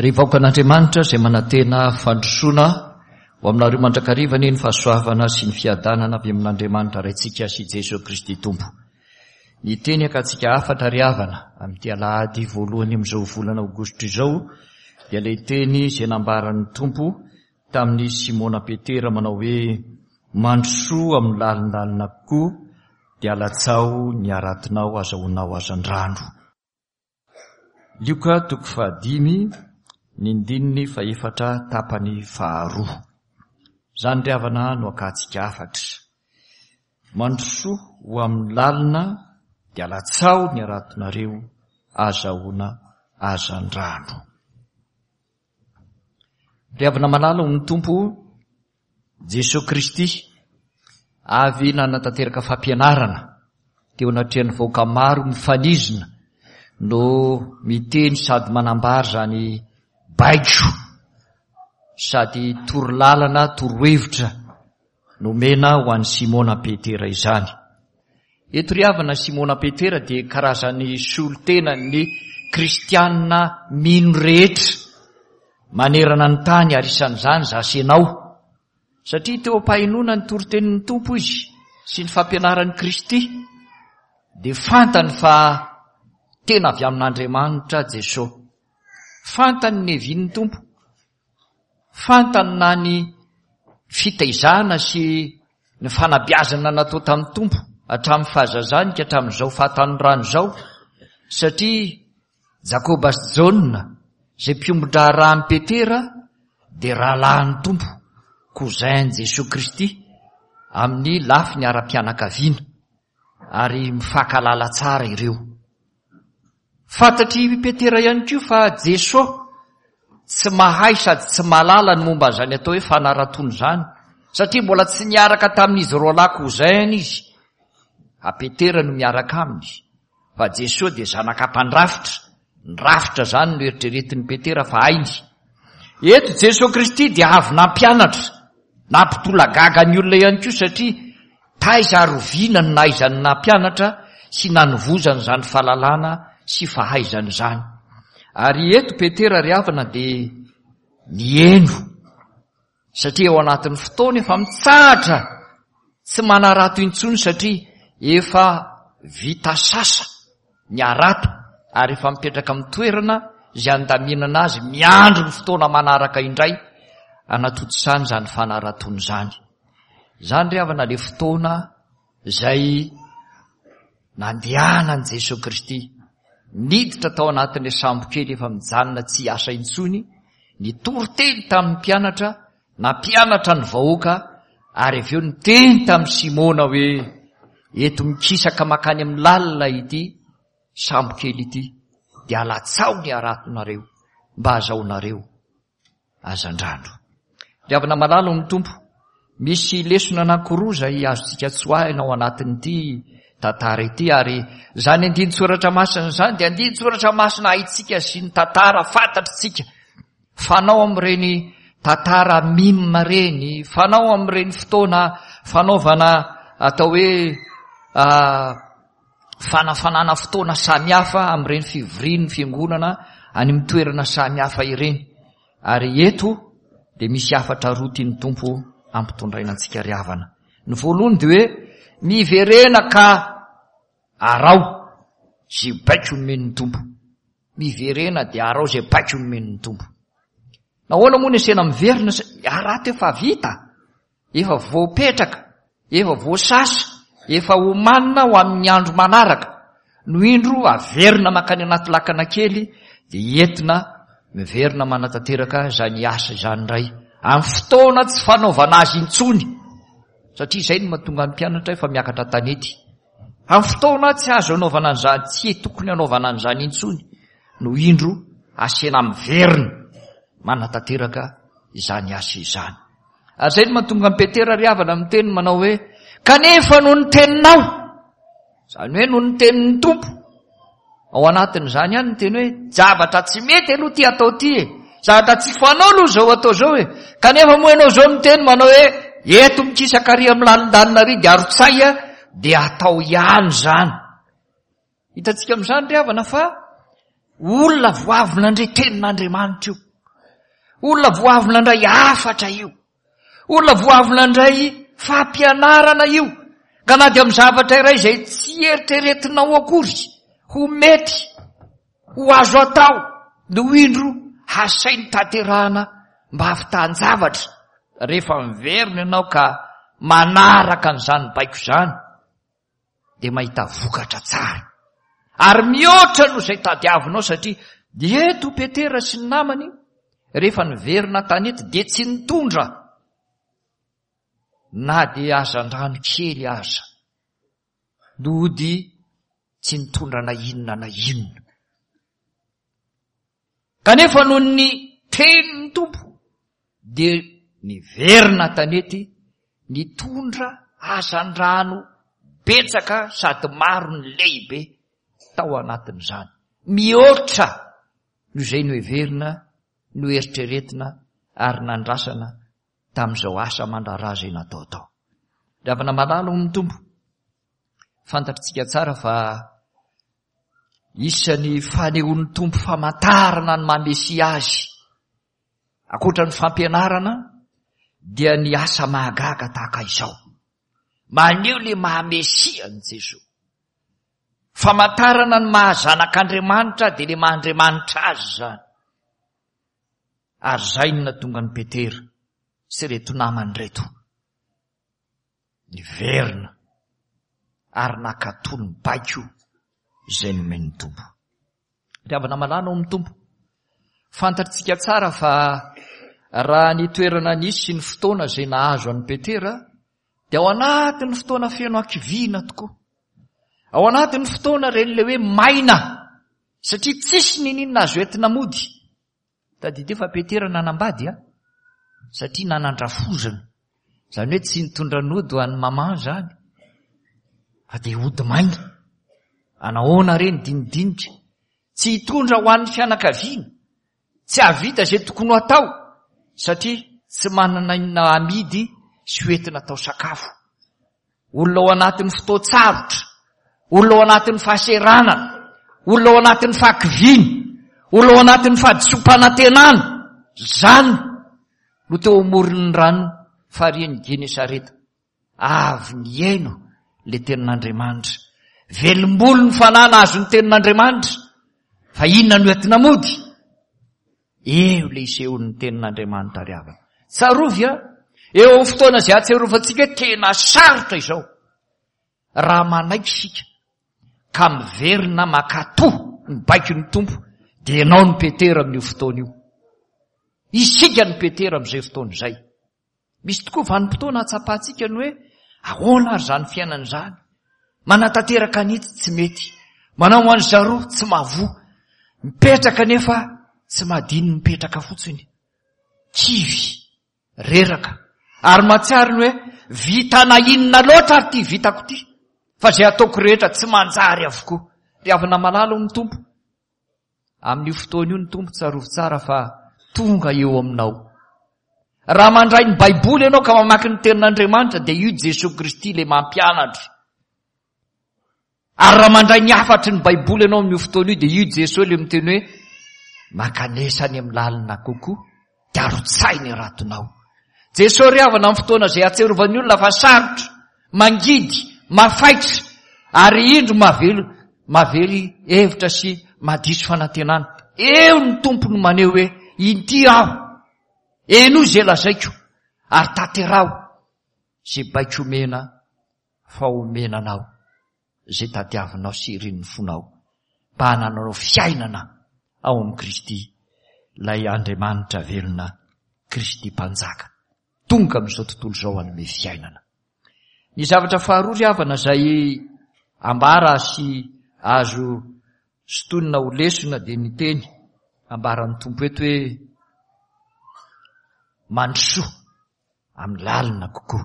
Ry vahoakan'Andriamanitra izay manantena fandrosoana, ho aminareo mandrakariva anie ny fahasoavana sy ny fiadanana avy amin'Andriamanitra Raintsika sy Jesoa Kristy Tompo. Ny teny akantsika hafatra ry havana amin'ity alahady voalohany amin'izao volana aogositra izao dia ilay teny izay nambaran'ny Tompo tamin'i Simona Petera manao hoe mandrosoa amin'ny lalindalina kokoa dia alatsaho ny haratinao azahoanao hazandrano. Lioka toko fahadimy, ny ndininy fahefatra tapany faharoa. Izany ry havana no akantsika hafatra. Mandrosoa ho amin'ny lalina dia alatsaho ny haratonareo azahoana hazandrano. Ry havana malala ho ny Tompo Jesoa Kristy avy nanatanteraka fampianarana teo anatrehan'ny vahoaka maro mifanizina no miteny sady manambara izany baiko sady torolalana torohevitra nomena ho an'i Simona Petera izany. Eto ry havana Simona Petera dia karazan'ny solontenan'ny kristianina mino rehetra manerana ny tany ary isan'izany za sy ianao. Satria teo am-pahenoana ny toritenin'ny Tompo izy sy ny fampianaran'i Kristy dia fantany fa tena avy amin'Andriamanitra Jesosy. Fantany ny hevin'ny Tompo. Fantany na ny fitaizana sy ny fanabeazana natao tamin'ny Tompo hatramin'ny fahazazany ka hatramin'izao fahatanorany izao, satria Jakoba sy Jaona, izay mpiombon-draharahan'i Petera, dia rahalahin'ny Tompo, cousin-n'i Jesoa Kristy, amin'ny lafiny ara-pianakaviana, ary mifankahalala tsara ireo. Fantatr'i Petera ihany koa fa Jesoa tsy mahay sady tsy mahalala ny momba an'izany atao hoe fanaratoana izany, satria mbola tsy niaraka tamin'izy roalahy cousin izy. A Petera no miaraka aminy, fa Jesoa dia zanaka mpandrafitra, ny rafitra izany no eritreretin'i Petera fa hainy. Eto Jesoa Kristy dia avy nampianatra, nampitolagaga ny olona ihany koa satria Taiza ary oviana no nahaizany nampianatra sy nanovozany izany fahalalana sy fahaizana izany? Ary eto Petera ry havana dia niheno, satria ao anatin'ny fotoana efa mitsahatra, tsy manarato intsony satria efa vita sasa ny harato ary efa mipetraka amin'ny toerana izay andaminana azy miandry ny fotoana manaraka indray anatontosana izany fanaratoana izany. Izany ry havana le fotoana izay nandehanan'i Jesoa Kristy niditra tao anatin'ilay sambo kely efa mijanona tsy hiasa intsony, nitory teny tamin'ny mpianatra, nampianatra ny vahoaka ary avy eo niteny tamin'i Simona hoe eto mikisaka makany amin'ny lalina ity sambo kely ity dia alatsaho ny haratonareo mba hazahoanareo hazandrano. Ry havana malala ao amin'ny Tompo, misy lesona anankiroa izay azontsika tsoahina ao anatin'ity tantara ity ary izany andinin-tsoratra masina izany dia andinin-tsoratra masina haintsika sy ny tantara fantatritsika. Fanao amin'ireny tantara mime ireny, fanao amin'ireny fotoana fanaovana atao hoe fanafanana fotoana samihafa amin'ireny fivorian'ny fiangonana any amin'ny toerana samihafa ireny. Ary eto dia misy hafatra roa tian'ny Tompo ampitondraina antsika ry havana. Ny voalohany dia hoe miverena ka arao izay baiko nomen'ny Tompo. Miverena dia arao izay baiko nomen'ny Tompo. Nahoana moa ny asena miverina? Arato efa vita. Efa voapetraka, efa voasasa, efa omanina ho amin'ny andro manaraka, no indro averina mankany anaty lakana kely dia entina miverina manatanteraka izany asa izany indray amin'ny fotoana tsy fanaovana azy intsony, satria izay no mahatonga ny mpianatra efa miakatra an-tanety. Amin'ny fotoana tsy azo anaovana an'izany, tsy tokony hanaovana an'izany intsony, no indro asena miverina manatanteraka izany asa izany. Ary izay no mahatonga an'i Petera ry havana miteny manao hoe, kanefa noho ny teninao, izany hoe noho ny tenin'ny Tompo, ao anatin'izany ihany ny teny hoe, zavatra tsy mety aloha ity atao ity e, zavatra tsy fanao aloha izao atao izao e, kanefa moa ianao izao miteny manao hoe, eto mikisaka ary amin'ny lalindalina ary dia arotsay dia atao ihany izany. Hitantsika amin'izany ry havana fa olona vao avy nandre tenin'Andriamanitra io. Olona vao avy nandray hafatra io. Olona vao avy nandray fampianarana io. Ka na dia amin'ny zavatra iray izay tsy eritreretinao akory ho mety, ho azo atao, no indro hasainy tanterahana mba hahavitan-javatra. Rehefa miverina ianao ka manaraka an'izany baiko izany, dia mahita vokatra tsara ary mihoatra noho izay tadiavinao satria eto Petera sy ny namany rehefa niverina tanety dia tsy nitondra na dia hazandrano kely aza nody tsy nitondra na inona na inona. Kanefa noho ny tenin'ny Tompo dia niverina an-tanety nitondra hazandrano betsaka sady maro ny lehibe tao anatin'izany. Mihoatra noho izay noheverina, noeritreretina ary nandrasana tamin'izao asa aman-draharaha izay natao tao. Ry havana malala ao amin'ny Tompo, fantatritsika tsara fa Isan'ny fanehoan'ny Tompo famantarana ny maha Mesia Azy, ankoatra ny fampianarana, dia ny asa mahagaga tahaka izao. Maneho le maha Mesia an'i Jesoa. Famantarana ny maha zanak'Andriamanitra dia le maha Andriamanitra Azy izany. Ary izay no nahatonga an'i Petera sy ireto namany ireto. niverina ary nankatò ny baiko izay nomen'ny Tompo. Ry havana malala ao amin'ny Tompo, fantatritsika tsara fa raha ny toerana nisy sy ny fotoana izay nahazo an'i Petera dia ao anatin'ny fotoana feno hakiviana tokoa. Ao anatin'ny fotoana ireny ilay hoe maina satria tsisy niniana azo entina mody. Tadidio fa Petera nanambady a! Satria nanan-drafozana. Izany hoe tsy nitondra nody ho an'i maman izany. Fa dia hody maina. Anahoana re ny dinidinika? Tsy hitondra ho an'ny fianakaviana. Tsy hahavita izay tokony ho atao. Satria tsy manana inona amidy sy ho entina atao sakafo. Olona ao anatin'ny fotoan-tsarotra, olona ao anatin'ny fahaseranana, olona ao anatin'ny fahakiviana, olona ao anatin'ny fahadisoam-panantenana. Izany no teo amoron'ny rano farihin'i Genesareta. Avy nihaino le tenin'Andriamanitra. Velombolo ny fanahy nahazo ny tenin'Andriamanitra. Fa inona no entina mody? Eo ilay isehoan'ny tenin'Andriamanitra ry havana. Tsarovy a, eo amin'ny fotoana izay ahatsiarovantsika hoe tena sarotra izao. Raha manaiky isika ka miverina makato ny baikon'ny Tompo, dia ianao no Petera amin'io fotoana io. Isika no Petera amin'izay fotoana izay. Misy tokoa vanim-potoana ahatsapantsika ny hoe ahoana ary izany fiainana izany. Manatanteraka an'itsy tsy mety, manao an'i zaroa tsy mahavoa, mipetraka nefa tsy mahadino mipetraka fotsiny. Kivy, reraka, ary mahatsiaro ny hoe vitana inona loatra ary ity vitako ity, fa izay ataoko rehetra tsy manjary avokoa. Ry havana malala hoy ny Tompo, Amin'io fotoana io ny Tompo tsarovy tsara fa tonga eo aminao. Raha mandray ny Baiboly ianao ka mamaky ny tenin'Andriamanitra dia io Jesoa Kristy ilay mampianatra. Ary raha mandray ny hafatry ny Baiboly ianao amin'io fotoana io dia io Jesoa ilay miteny hoe mankanesa any amin'ny lalina kokoa dia arotsahy ny ratonao. Jesoa ry havana amin'ny fotoana izay ahatsiarovan'ny olona fa sarotra, mangidy, mafaitra ary indro mahavelo, mahavery hevitra sy mahadiso fanantenana. Eo ny Tompo no maneho hoe inty aho, henoy izay lazaiko ary tanteraho izay baiko omena fa omena anao. izay tadiavinao sy irin'ny fonao mba hanananao fiainana ao amin'i Kristy, ilay Andriamanitra velona, Kristy Mpanjaka, tonga amin'izao tontolo izao hanome fiainana. Ny zavatra faharoa ry havana izay ambara sy azo sintonina ho lesona dia ny teny ambaran'ny Tompo eto hoe mandrosoa amin'ny lalina kokoa.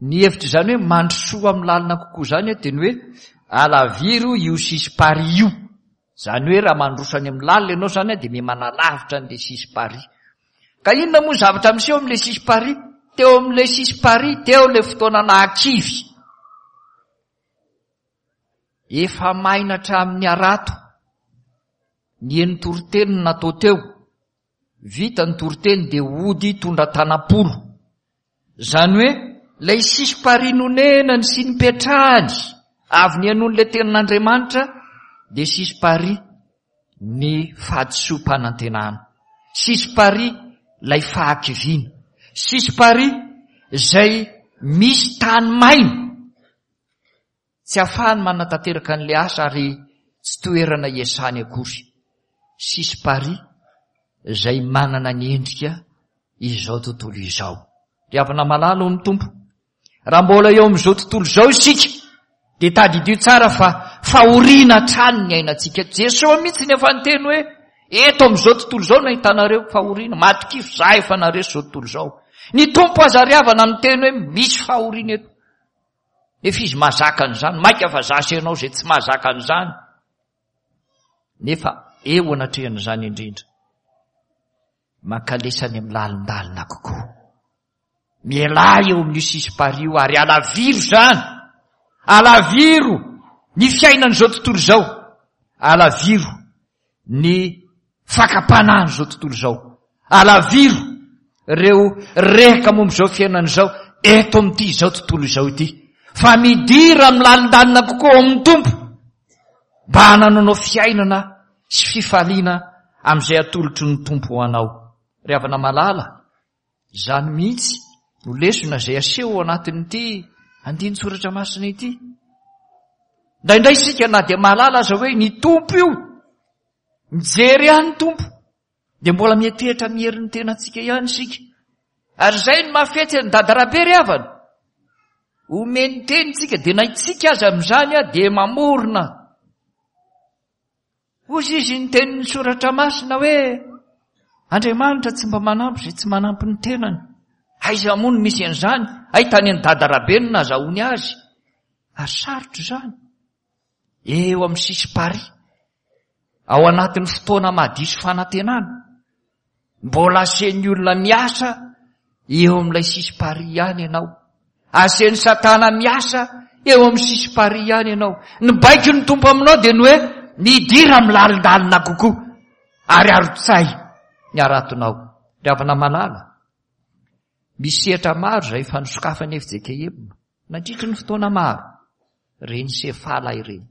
Ny hevitr'izany hoe mandrosoa amin'ny lalina kokoa izany dia ny hoe alaviro io sisi-parihy io. Izany hoe raha mandroso any amin'ny lalina ianao izany dia miha manalavitra an'ilay sisi-parihy. Ka inona moa ny zavatra miseho amin'ilay sisi-parihy? Teo amin'ilay sisi-parihy, teo ilay fotoana nahakivy. Efa maina hatramin'ny harato. Ny heno toriteny no natao teo. Vita ny toriteny dia hody hitondra tanam-polo. Izany hoe ilay sisim-parihy nonenany sy nipetrahany avy nihainoany ilay tenin'Andriamanitra dia sisim-parihy ny fahadisoam-panantenana. Sisim-parihy ilay fahakiviana. Sisim-parihy izay misy tany maina. Tsy afahany manatanteraka an'ilay asa ary tsy toerana iasany akory. Sisim-parihy izay manana ny endrika izao tontolo izao. Ry havana malala ao amin'ny Tompo, raha mbola eo amin'izao tontolo izao isika, dia tadidio tsara fa fahoriana hatrany ny ainantsika. Jesoa mihitsy no efa niteny hoe, eto amin'izao tontolo izao no ahitanareo fahoriana, matokia fa izaho efa naharesy izao tontolo izao. Ny Tompo aza ry havana niteny hoe misy fahoriana eto. Nefa izy mahazaka an'izany, maika fa za sy ianao izay tsy mahazaka an'izany. Nefa eo anatrehan'izany indrindra, mankalesa any amin'ny lalindalina kokoa. Mialà eo amin'io sisim-parihy io ary alaviro izany. Alaviro ny fiainan'izao tontolo izao. Alaviro ny fakam-panahin'izao tontolo izao. Alaviro ireo rehaka momba izao fiainana izao eto amin'ity izao tontolo izao ity. Fa midira amin'ny lalindalina kokoa ao amin'ny Tompo mba hanananao fiainana sy fifaliana amin'izay atolotry ny Tompo ho anao. Ry havana malala, izany mihitsy no lesona izay aseho ao anatin'ity andinin-tsoratra masina ity. Indraindray isika na dia mahalala aza hoe ny Tompo io, mijery ahy ny Tompo, dia mbola miantehitra amin'ny herin'ny tenantsika ihany isika. Ary izay no mahafetsy an'i Dada Rabe ry havana. Omeny teny tsika, dia na itsika aza amin'izany dia mamorona. Hozy izy ny tenin'ny soratra masina hoe Andriamanitra tsy mba manampy izay tsy manampy ny tenany. Aiza moa no misy an'izany? Hay tany an'i Dada Rabe no nazahoany azy. Ary sarotra izany. Eo amin'ny sisim-parihy. Ao anatin'ny fotoana mahadiso fanantenana. Mbola asen'ny olona miasa eo amin'ilay sisim-parihy ihany ianao. Asen'i Satana miasa eo amin'ny sisim-parihy ihany ianao. Ny baiko ny Tompo aminao dia ny hoe midira amin'ny lalindalina kokoa ary arotsay ny haratonao. Ry havana malala, misy sehatra maro izay efa nosokafan'ny FJKM nandritry ny fotoana maro. Ireny sefala ireny,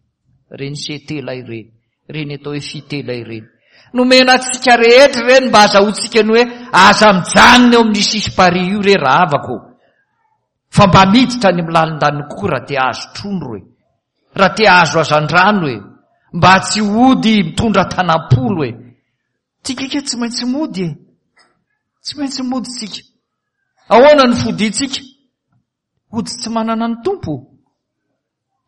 ireny setela ireny, ireny atao hoe fitela ireny. Nomena antsika rehetra ireny mba azahoantsika ny hoe aza mijanona eo amin'ny sisim-parihy io re rahavako. Fa mba miditra any amin'ny lalin-daniny kokoa raha te hahazo trondro e. Raha te hahazo hazandrano e. Mba tsy hody mitondra tanam-polo e. Tsika ika tsy maintsy mody e. Tsy maintsy mody tsika. Ahoana ny fodiantsika? Hody tsy manana ny Tompo.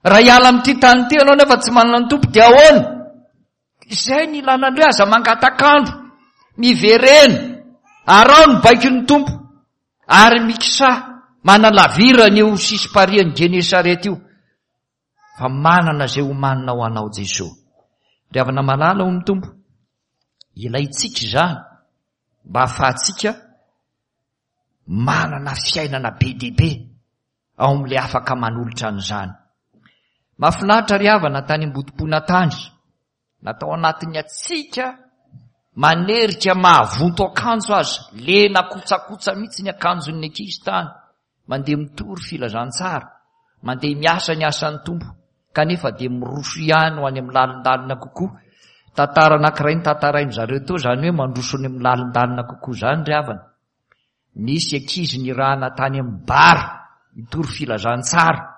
Raha hiala amin'ity tany ity ianao nefa tsy manana ny Tompo dia ahoana? Izay ny ilana ny hoe aza mangatak'andro, miverena, araho ny baikon'ny Tompo ary mikisaha manalavirana io sisim-parihan'i Genesareta io fa manana izay homanina ho anao Jesoa. Ry havana malala ao amin'ny Tompo, ilaintsika izany mba hahafahantsika manana fiainana be dia be ao amin'ilay afaka manolotra an'izany. Mahafinaritra ry havana tany Ambodimpona tany, natao anatin'ny hatsiaka manerika mahavonto akanjo aza, lena kotsakotsa mihitsy ny akanjon'ny ankizy tany, mandeha mitory filazantsara, mandeha miasa ny asan'ny Tompo, kanefa dia miroso ihany ho any amin'ny lalindalina kokoa. Tantara anankiray notantarain-dry zareo teo izany hoe mandroso any amin'ny lalindalina kokoa izany ry havana. Nisy ankizy nirahana tany amin'ny bar hitory filazantsara.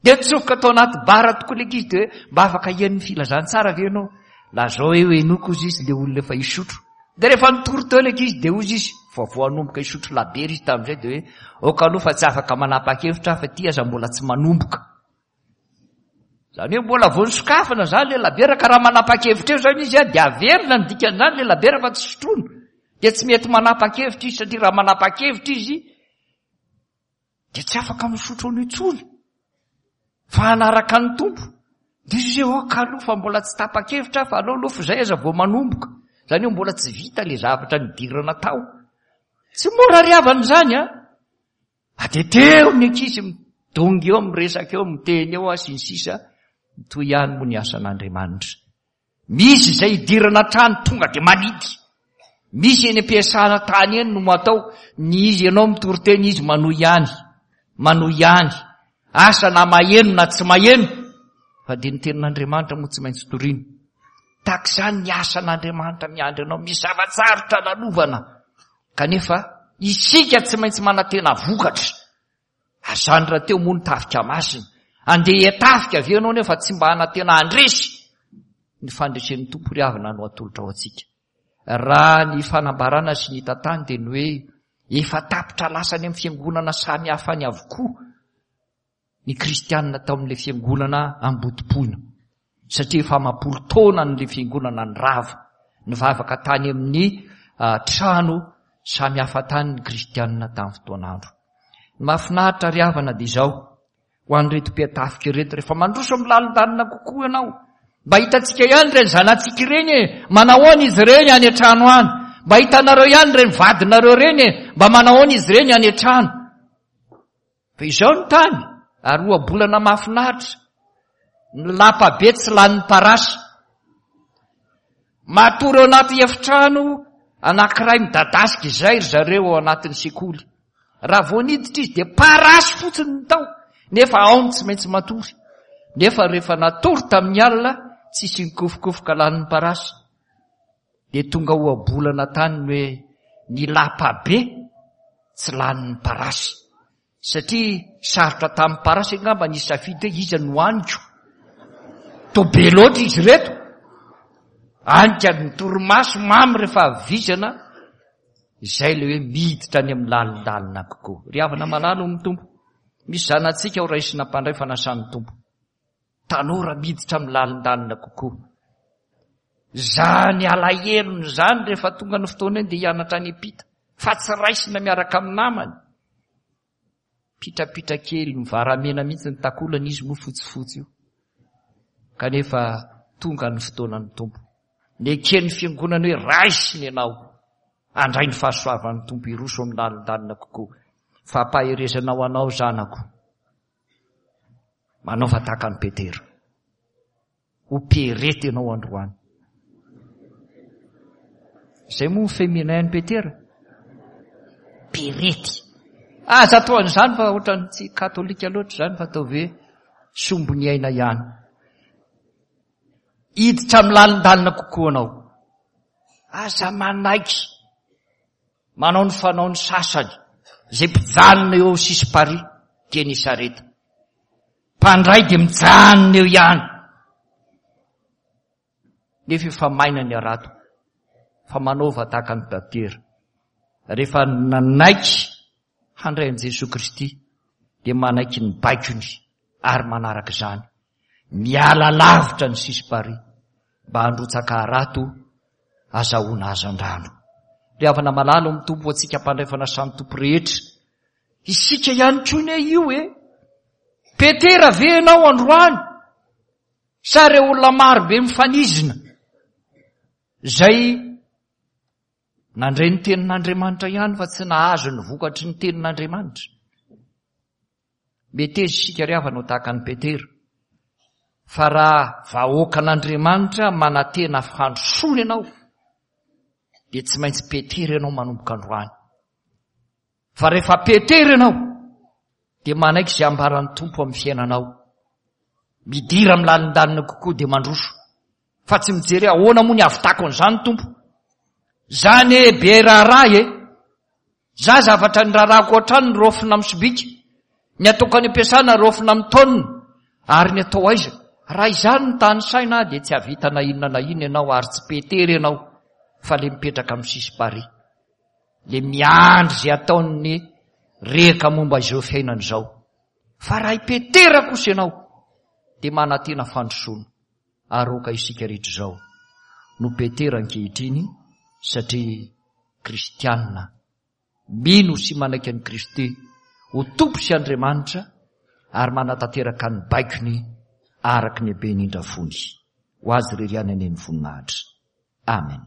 Dia nitsofoka tao anaty bar tokoa ilay ankizy dia hoe mba afaka hihaino ny filazantsara ve ianao? Lazao hoe henoiko hozy izy ilay olona efa hisotro. Dia rehefa nitory teo ilay ankizy dia hozy izy, vao vao hanomboka hisotro labiera izy tamin'izay dia hoe aoka aloha fa tsy afaka manapa-kevitra aho fa ity aza mbola tsy manomboka. Izany hoe mbola vao nisokafana izany ilay labiera ka raha manapa-kevitra eo izany izy dia averina ny dikan'izany ilay labiera fa tsy sotroina. Dia tsy mety manapa-kevitra izy satria raha manapa-kevitra izy dia tsy afaka misotro an'io intsony fa hanaraka ny Tompo. Dia izy hoe aoka aloha fa mbola tsy tapa-kevitra aho fa aleo aloha fa izay aza vao manomboka. Izany hoe mbola tsy vita ilay zavatra nidirana tao. Tsy mora ry havana izany an! Ateteo ny ankizy midongy eo, miresaka eo, miteny eo sy ny sisa, mitohy ihany moa ny asan'Andriamanitra. Misy izay idirana hatrany tonga dia manidy. Misy eny am-piasana tany eny no atao, ny izy ianao mitory teny izy manohy ihany, manohy ihany. Asa na maheno na tsy maheno, fa dia ny tenin'Andriamanitra moa tsy maintsy torina. Tahaka izany ny asan'Andriamanitra miandry anao, misy zava-tsarotra lalovana. Kanefa isika tsy maintsy manantena vokatra. Ary izany rahateo moa ny tafika masina. Andeha hiatafika ve ianao nefa tsy mba hanantena handresy? Ny fandresen'ny Tompo ry havana no atolotra ho antsika. Raha ny fanambarana sy ny hita tany dia ny hoe efa tapitra lasa any amin'ny fiangonana samy hafa any avokoa ny kristianina tao amin'ilay fiangonana Ambodipoina. Satria efa amam-polo taona an'ilay fiangonana nirava. Nivavaka tany amin'ny ah, trano samy hafa tany ny kristianina tamin'ny fotoan'andro. Ny mahafinaritra ry havana dia izao, ho an'ireto mpiatafika ireto, rehefa mandroso amin'ny lalindalina kokoa ianao, mba hitantsika ihany ireny zanatsika ireny e, manahoana izy ireny any an-trano any, mba hitanareo ihany ireny vadinareo ireny e, mba manahoana izy ireny any an-trano. Fa izao ny tany, ary ohabolana mahafinaritra, ny lapa be tsy lanin'ny parasy. Matory ao anaty efitrano anankiray midadasika izay ry zareo ao anatin'ny sekoly. Raha vao niditra izy dia parasy fotsiny ny tao, nefa ao no tsy maintsy matory. Nefa rehefa natory tamin'ny alina, tsisy nikofokofoka lanin'ny parasy. Dia tonga ohabolana tany ny hoe ny lapa be tsy lanin'ny parasy. Satria sarotra tamin'ny parasy angamba ny hisafidy hoe iza no haniko. Toa be loatra izy ireto. Any ka ny torimaso mamy rehefa avy vizana, izay ilay hoe miditra any amin'ny lalindalina kokoa. Ry havana malala ao amin'ny Tompo, misy zanatsika ho raisina mpandray fanasan'ny Tompo. Tanora miditra amin'ny lalindalina kokoa. Izany alahelony izany rehefa tonga ny fotoana iny dia hianatra any am-pita, fa tsy raisina miaraka amin'ny namany. Pitrapitra kely, mivaramena mihitsy ny takolany, izy moa fotsifotsy io. Kanefa tonga ny fotoanan'ny Tompo. Neken'ny fiangonana hoe raisiny ianao, handray ny fahasoavan'ny Tompo hiroso amin'ny lalindalina kokoa. Fampaherezana ho anao zanako. Manaova tahaka an'i Petera. Ho Pierrette ianao androany. Izay moa ny féminin an'i Petera? Pierrette. Aza atao an'izany fa ohatran'ny tsy katolika loatra izany fa ataovy hoe sombiny aina ihany. Hiditra amin'ny lalindalina kokoa anao. Aza manaiky manao ny fanaon'ny sasany izay mpijanona eo sisim-parihy Genesareta. Mpandray dia mijanona eo ihany. Nefa efa maina ny harato. Fa manaova tahaka an'i Petera. Rehefa nanaiky handray an'i Jesoa Kristy dia manaiky ny baikony ary manaraka izany. Miala lavitra ny sisim-parihy mba handrotsaka harato azahoana hazandrano. Ry havana malala ao amin'ny Tompo ho antsika mpandray fanasan'ny Tompo rehetra. Isika ihany koa ne io e. Petera ve ianao androany? Sa ireo olona maro be mifanizina izay nandre ny tenin'Andriamanitra ihany fa tsy nahazo ny vokatry ny tenin'Andriamanitra? Meteza isika ry havana ho tahaka an'i Petera, fa raha vahoakan'Andriamanitra manantena fandrosoana ianao, dia tsy maintsy Petera ianao manomboka androany. Fa rehefa Petera ianao, dia manaiky izay ambaran'ny Tompo amin'ny fiainanao. Midira amin'ny lalindalina kokoa dia mandroso. Fa tsy mijery ahoana moa ny havitako an'izany Tompo. Zany e be raharaha e. Za zavatra ny raharahako hatrany ny raofina amin'ny sobika. Ny ataoko any am-piasana raofina amin'ny taonina. Ary ny atao aiza? Raha izany ny tany saina dia tsy havita na inona na inona ianao ary tsy Petera ianao fa le mipetraka amin'ny sisim-parihy. Le miandry izay ataon'ny rehaka momba izao fiainana izao. Fa raha i Petera kosa ianao dia manantena fandrosoana. Ary aoka isika rehetra izao no Petera ankehitriny satria kristiana mino sy manaiky an'i Kristy ho Tompo sy Andriamanitra ary manatanteraka ny baikony araka ny haben'indra fony. Ho Azy irery ihany anie ny voninahitra. Amen.